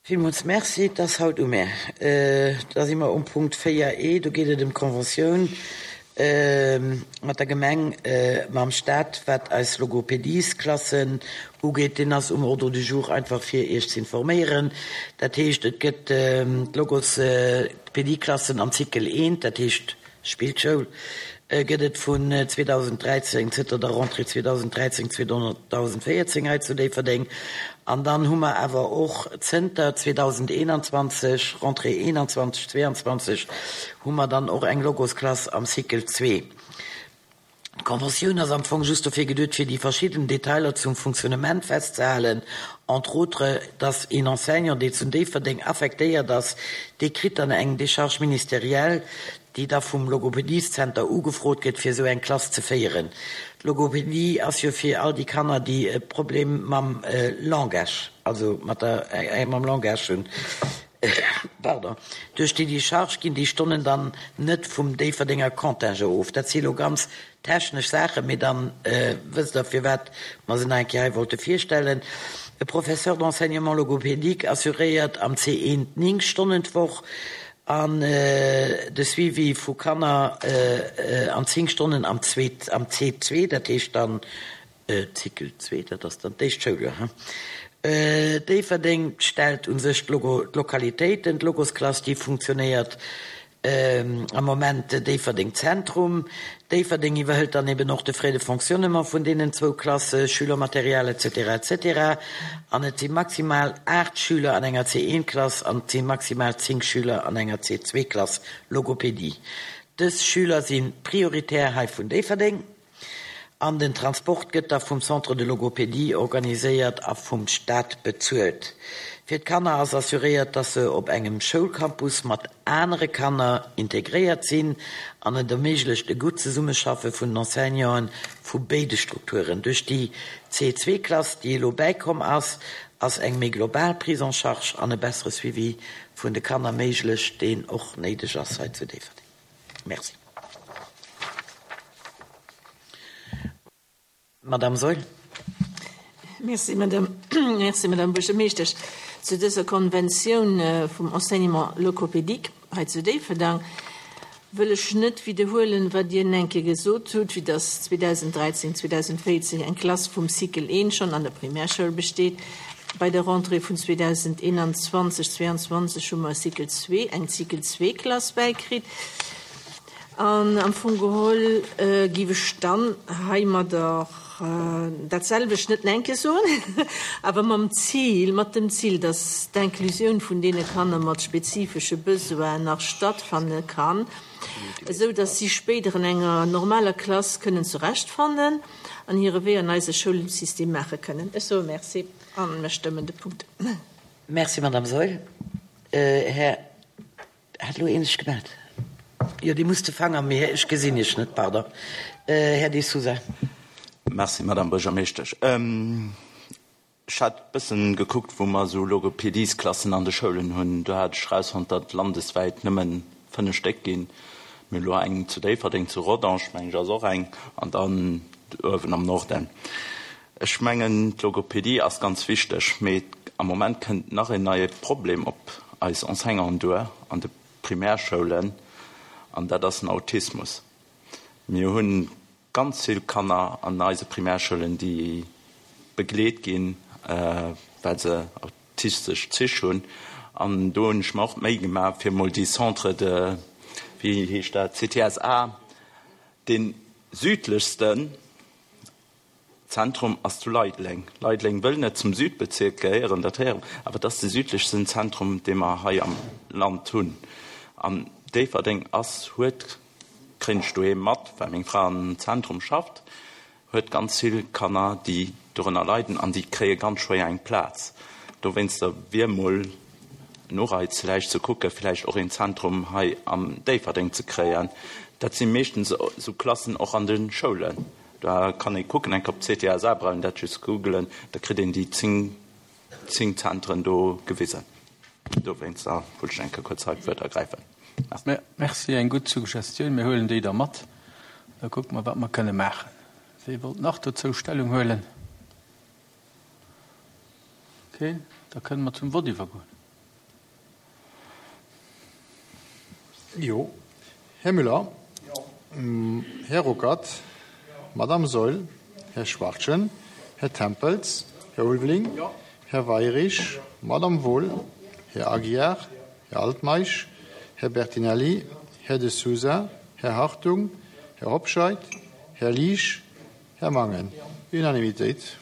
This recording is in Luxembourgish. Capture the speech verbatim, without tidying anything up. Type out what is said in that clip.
Villmools Merci. Et ass haut u mär. Da si mer um Punkt véier e, do geet et ëm d'Conventioun mat der Gemeng, mam Stat, wat eis Logopediesklassen ugeet. Deen ass um Ordre du jour einfach fir Iech ze informéieren. Dat heescht, et gëtt d'Logopedieklassen am Cycle eent, dat heescht Spillschoul, gëtt et vun zweedausenddräizéng, zënter der Rentrée zweedausenddräizéng, zweedausenvéierzéng hei zu Déifferdeng. An dann hu mer awer och zënter zweedausendeenanzwanzeg, Rentrée eenanzwanzeg, zweeanzwanzeg, hu mer dann och eng Logosklass am Cycle zwee. D'Conventioun ass am Fong just dofir geduet, fir déi verschidden Detailer zum Fonctionnement festzehalen, entre autres, dass een Enseignant, dee zu Déifferdeng affektéiert ass, dee kritt dann eng Décharge ministérielle, déi da vum Logopedieszenter ugefrot gëtt, fir esou eng Klass ze féieren. D'Logopedie ass jo fir all déi Kanner, déi e Problem mam Langage, also mat der, mam Langage hunn. Pardon. Duerch déi Décharge ginn déi Stonnen dann net vum Déifferdenger Contingent of. Dat si lo ganz technesch Saachen, mee dann wësst Der, firwat mer se nach eng Kéier hei wollte virstellen. E Professeur d'enseignement logopédique assuréiert am C eent néng Stonnen d'Woch an de Suivi vu Kanner an zéng Stonnen am C zwee, dat heescht dann Cycle zwee, dat ass dann d'éischt Schouljoer, he. Déifferdeng stellt u sech d'Lokalitéiten, d'Logosklass, déi funktionéiert am Moment Déifferdeng Zentrum. Déifferdeng iwwerhëlt dann eben och de Frais de fonctionnement vun deenen zwou Klasse, Schülermaterial et cetera et cetera. An et si maximal aacht Schüler an enger C eent Klass an et si maximal zéng Schüler an enger C zwee Klass Logopedie. Dës Schüler si prioritär hei vun Déifferdeng. An den Transport gëtt da vum Centre de logopédie organiséiert a vum Staat bezuelt. Fir d'Kanner ass assuréiert, dass se op engem Schoulcampus mat anere Kanner integréiert sinn an et erméiglecht e gutt Zesummeschaffe vun den Enseignanten vu béide Strukturen. Duerch déi C zwee Klass, déi elo bäikomm ass, ass eng méi global Prise en charge an e bessere Suivi vun de Kanner méiglech, deen och néideg ass hei zu Déifferdeng. Merci. Madame Saeul. Merci, Madame, merci, Madame Buergermeeschtesch. Zu dëser Konventioun vum Enseignement logopédique hei zu Déifferdang wëll ech net widderhuelen, wat Dir eng Kéier gesot hutt, wéi dass zweedausenddräizéng, zweedausenvéierzéng eng Klass vum Cycle eent schonn an der Primärschoul besteet. Bei der Rentrée vun zweedauseneenanzwanzeg, zweeanzwanzeg hu mer e Cycle zwee, eng Cycle zwee Klass bäikritt. An am Fong geholl géif ech dann heimadder dat selwecht net nach eng Kéier soen, awer mam Zil, mat dem Zil, dass d'Inclusioun vun deene Kanner mat spezifesche Besoinen nach stattfanne kann, esou dass si spéider an enger normaler Klass kënnen zurechtfannen an hire Wee an eise Schoulsystem maache kënnen. Ech soe Merci a mir stëmmen de Punkt. Merci, Madame Saeul. Här, hat elo een sech gemellt? Jo, Dir musst de Fanger, mee ech gesinn Iech net, pardon. Här De Sousa. Merci, Madame Buergermeeschtesch. Ech hat e bëssen gekuckt, wou mer esou Logopediesklassen an de Schoulen hunn. Do hat ech erausfonnt, datt et landeswäit nëmmen fënnef Stéck ginn. Mir hunn elo eng zu Déifferdeng, zu Rodange, meng ech, ass och eng, an dann uewen am Norden. Ech mengen, d'Logopedie ass ganz wichteg, mee am Moment kënnt nach en neie Problem op eis Enseignanten duer an de Primärschoulen, an dat ass den Autismus. Mir hu ganz vill Kanner an eise Primärschoulen, déi begleet ginn, well se autistesch Zich hunn. An do hunn ech mer och d'Méi gemaach, fir emol déi Centre de, wéi heescht dat, C T S A, dee südlechsten Zentrum ass zu Leideleng. Leideleng wëll net zum Südbezirk gehéieren, dat héieren, awer et ass de südlechsten Zentrum, dee mer hei am Land hunn. An Déifferdeng ass, huet, kréien ech doheem mat, well meng Fra am Zentrum schafft, huet ganz vill Kanner, déi dorënner leiden an déi kréie ganz schwéier eng Plaz. Dowéinster wier mol en Ureiz vläicht ze kucken, vläicht och een Zentrum hei am Déifferdeng ze kréien. Dat si meeschtens esou Klassen och an de Schoulen. Da kann ee kucken, eng Kéier op C T S A, brauch een dat just googelen, da kritt een déi zéng, zéng Zentren do gewisen. Dowéinster wollt ech eng Kéier kuerz hei d'Wuert ergräifen. Merci. Merci, eng gutt Suggestioun. Mir huelen déi da mat. Da kucke mer, wat mer kënne maachen. Wie wollt nach dozou Stellung huelen? Keen? Da kënne mer zum Vott iwwergoen. Jo. Här Müller. Här Ruckert. Madame Saeul. Här Schwachtgen. Här Tempels. Här Ulveling. Här Weirich. Madame Wohl. Här Aguiar. Här Altmeisch. Här Bertinelli. Här De Sousa. Här Hartung. Här Hobscheit. Här Liesch. Här Mangen. Unanimitéit.